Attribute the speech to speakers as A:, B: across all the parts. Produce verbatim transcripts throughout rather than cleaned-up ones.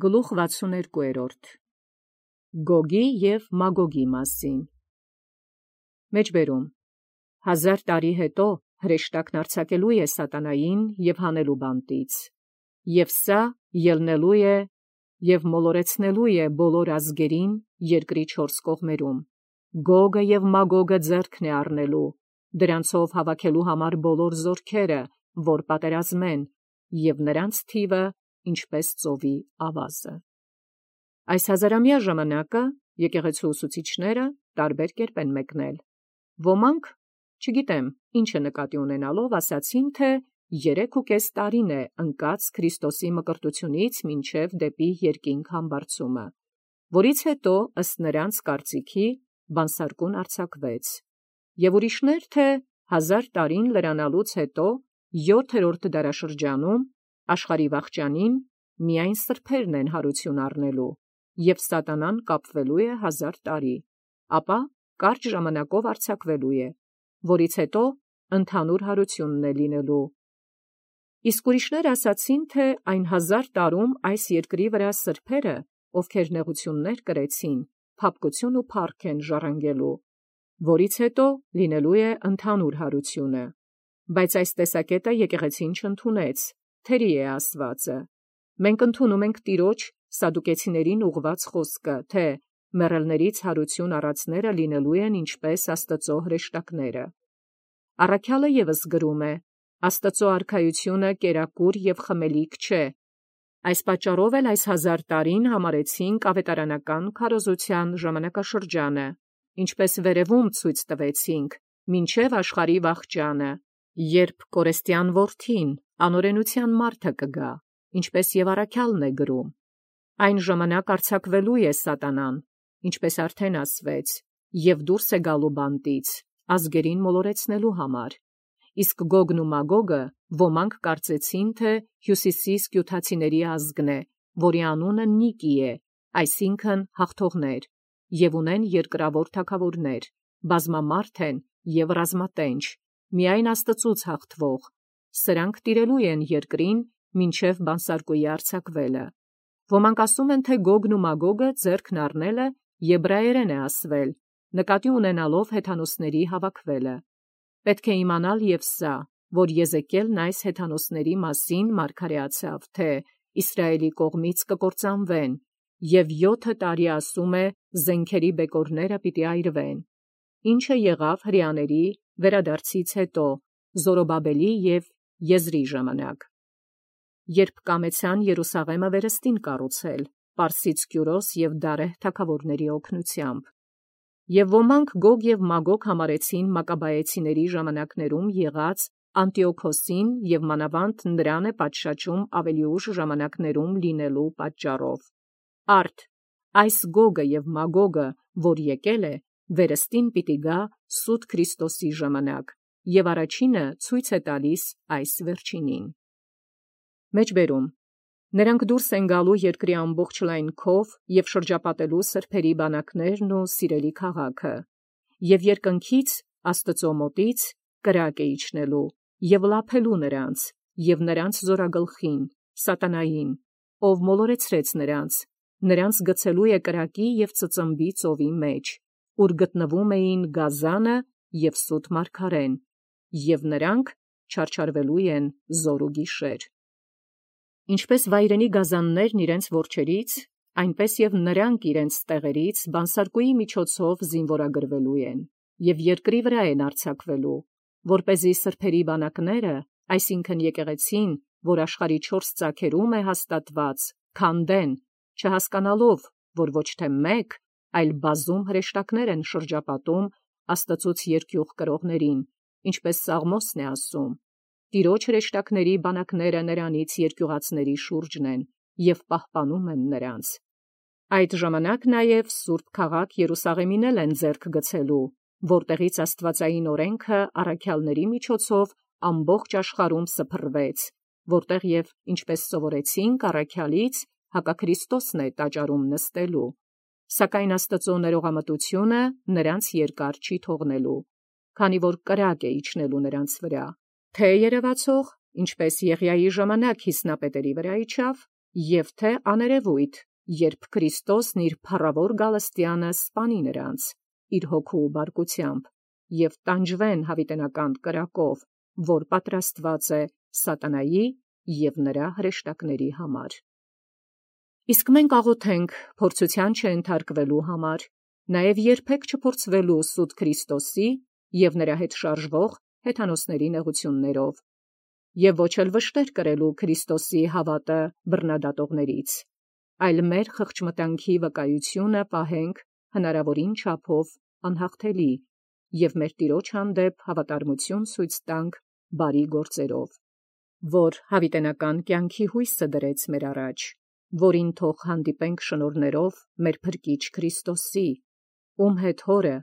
A: Գլուխ վաթսուներկու Գոգի և Մագոգի մասին Մեջբերում Հազար տարի հետո հրեշտակն արձակելու է սատանային և հանելու բանտից, և սա ելնելու է և մոլորեցնելու է բոլոր ազգերին երկրի չորս կողմերում, Գոգը և Մագոգը ձեռքն է առնելու, դրանցով հավաքելու համար բոլոր զորքերը, որ պատերազմեն, և նրանց թիվը ինչպես ծովի ավազը։ Այս հազարամյա ժամանակը եկեղեցու ուսուցիչները տարբեր կերպ են մեկնել։ Ոմանք, չգիտեմ ինչը նկատի ունենալով, ասացին, թե երեք ու կես տարին է ընկած Քրիստոսի մկրտությունից մինչև դեպի երկինք համբարձումը, որից հետո ըստ նրանց կարծիքի բանսարկուն արձակվեց, և ուրիշներ, թե հազար տարին լրանալուց հետո յոթերորդ դարաշրջանում աշխարհի վախճանին միայն սրբերն են հարություն առնելու, և սատանան կապվելու է հազար տարի, ապա կարճ ժամանակով արձակվելու է, որից հետո ընդհանուր հարությունն է լինելու։ Իսկ ուրիշներ ասացին, թե այն հազար տարում այս երկրի վրա սրբերը, ովքեր նեղություններ կրեցին, փափկություն ու փառք են ժառանգելու, որից հետո լինելու է ընդհանուր հարությունը։ Բայց այս տեսակետը եկեղեցին չընդունեց, թերի է ասվածը։ Մենք ընդունում ենք Տիրոջ սադուկեցիներին ուղղված խոսքը, թե մեռելներից հարություն առածները լինելու են ինչպես Աստծո հրեշտակները։ Առաքյալը ևս գրում է. Աստծո արքայությունը կերակուր և խմելիք չէ։ Այս պատճառով էլ այս հազար տարին համարեցինք ավետարանական քարոզության ժամանակաշրջանը, ինչպես վերևում ցույց տվեցինք, մինչև աշխարհի վախճանը, երբ կորեստյան որդին, անօրենության մարդը կգա, ինչպես և առաքյալն է գրում։ Այն ժամանակ արձակվելու է սատանան, ինչպես արդեն ասվեց, և դուրս է գալու բանտից, ազգերին մոլորեցնելու համար։ Իսկ Գոգն ու Մագոգը ոմանք կարծեցին, թե հյուսիսի սկյութացիների ազգն է, որի անունը Նիկի է, այսինքն հաղթողներ, և ունեն երկրավոր թագավորներ, բազմամարդ են և ռազմատենչ, միայն Աստծուց հաղթվող, սրանք տիրելու են երկրին մինչև բանսարկուի արձակվելը։ Ոմանք ասում են, թե Գոգն ու Մագոգը ձեռքն առնելը եբրայերեն է ասվել, նկատի ունենալով հեթանոսների հավաքվելը։ Պետք է իմանալ և սա, որ Եզեկիելն այս հեթանոսների մասին մարգարեացավ, թե Իսրայելի կողմից կկործանվեն, և յոթը տարի ասում է զենքերի բեկորները պիտի այրվեն, ինչը եղավ հրեաների վերադարձից հետո, Զորոբաբելի և Եզրի ժամանակ, երբ կամեցան Երուսաղեմը վերստին կառուցել, Պարսից Կյուրոս և Դարեհ թագավորների օգնությամբ։ Եվ ոմանք Գոգ և Մագոգ համարեցին Մակաբայեցիների ժամանակներում եղած Անտիոքոսին և մանավանդ նրան է պատշաճում ավելի ուշ ժամանակներում լինելու պատճառով։ Արդ այս Գոգը և Մագոգը, որ եկել է, վերստին պիտի գա սուտ Քրիստոսի ժամանակ, և առաջինը ցույց է տալիս այս վերջինին։ Մեջբերում Նրանք դուրս են գալու երկրի ամբողջ լայնքով և շրջապատելու սրբերի բանակներն ու սիրելի քաղաքը, և երկնքից Աստծո մոտից կրակ է իջնելու և լափելու նրանց և նրանց զորագլխին, սատանային, ով մոլորեցրեց նրանց, նրանց գցելու է կրակի և ծծմբի ծովի մեջ, ուր գտնվում էին գազանը և սուտ մարգարեն, և նրանք չարչարվելու են զօր ու գիշեր։ Ինչպես վայրենի գազաններն իրենց որջերից, այնպես և նրանք իրենց տեղերից բանսարկուի միջոցով զինվորագրվելու են, և երկրի վրա են արձակվելու, որպեսզի սրբերի բանակները, այսինքն եկեղեցին, որ աշխարհի չորս ծագերում է հաստատված, քանդեն, չհասկանալով, որ ոչ թե մեկ, այլ բազում հրեշտակներ են շրջապատում Աստծուց երկյուղ կրողներին, ինչպես Սաղմոսն է ասում. Տիրոջ հրեշտակների բանակները նրանից երկյուղածների շուրջն են և պահպանում են նրանց։ Այդ ժամանակ նաև սուրբ քաղաք Երուսաղեմին էլ են ձեռք գցելու, որտեղից աստվածային օրենքը առաքյալների միջոցով ամբողջ աշխարհում սփռվեց, որտեղ և, ինչպես սովորեցինք առաքյալից, հակաքրիստոսն է տաճարում նստելու, սակայն Աստծո ներողամտությունը նրանց երկար չի թողնելու, քանի որ կրակ է իջնելու նրանց վրա, թե երևացող, ինչպես Եղիայի ժամանակ Հիսնապետերի վրա իջավ, և թե աներևույթ, երբ Քրիստոսն իր փառավոր գալստյանը սպանի նրանց իր հոգու բարկությամբ, և տանջվեն յաւիտենական կրակով, որ պատրաստված է սատանայի և նրա հրեշտակների համար։ Իսկ մենք աղոթենք փորձութեան չենթարկվելու համար, նաև երբեք չփորձվելու սուտ Քրիստոսի և նրա հետ շարժվող հեթանոսների նեղութիւններով, և ոչ էլ վշտեր կրելու Քրիստոսի հաւատը բռնադատողներից, այլ մեր խղճմտանքի վկայութիւնը պահենք հնարաւորին չափով անհաղթելի և մեր Տիրոջ հանդեպ հաւատարմութիւն ցույց տանք բարի գործերով, որ յաւիտենական կյանքի յույսը դրեց մեր առաջ, որին թող հանդիպենք շնորհներով մեր Փրկիչ Քրիստոսի, ում հետ Հօրը,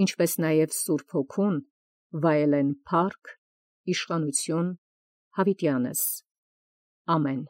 A: ինչպէս նաև Սուրբ Հոգուն, վայելեն փառք, իշխանութիւն յաւիտյանս։ Ամեն։